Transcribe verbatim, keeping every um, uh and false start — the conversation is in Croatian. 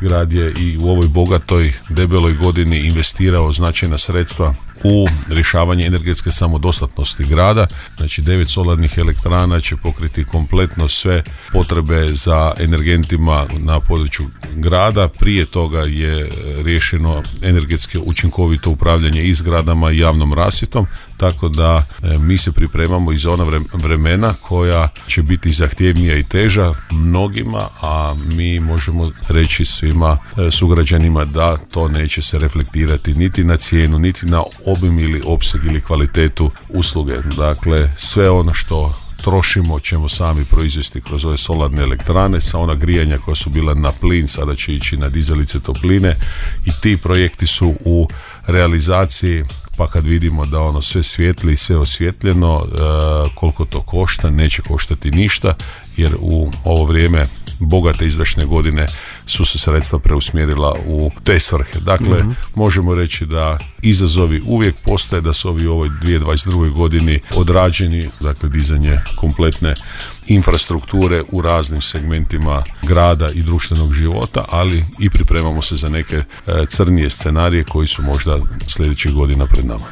Grad je i u ovoj bogatoj, debeloj godini investirao značajna sredstva u rješavanje energetske samodostatnosti grada. Znači devet solarnih elektrana će pokriti kompletno sve potrebe za energentima na području grada. Prije toga je riješeno energetske učinkovito upravljanje i zgradama i javnom rasvjetom, tako da e, mi se pripremamo i za ona vremena koja će biti zahtjevnija i teža mnogima, a mi možemo reći svima e, sugrađanima da to neće se reflektirati niti na cijenu, niti na obim ili opseg ili kvalitetu usluge. Dakle, sve ono što trošimo ćemo sami proizvesti kroz ove solarne elektrane. Sa ona grijanja koja su bila na plin sada će ići na dizalice topline i ti projekti su u realizaciji. Pa kad vidimo da ono sve svijetli i sve osvjetljeno, e, koliko to košta, neće koštati ništa, jer u ovo vrijeme bogate izdašne godine su se sredstva preusmjerila u te svrhe. Dakle, mm-hmm. možemo reći da izazovi uvijek postoje, da su ovi u ovoj dvije tisuće dvadeset drugoj godini odrađeni, dakle dizanje kompletne infrastrukture u raznim segmentima grada i društvenog života, ali i pripremamo se za neke e, crnije scenarije koji su možda sljedećih godina pred nama.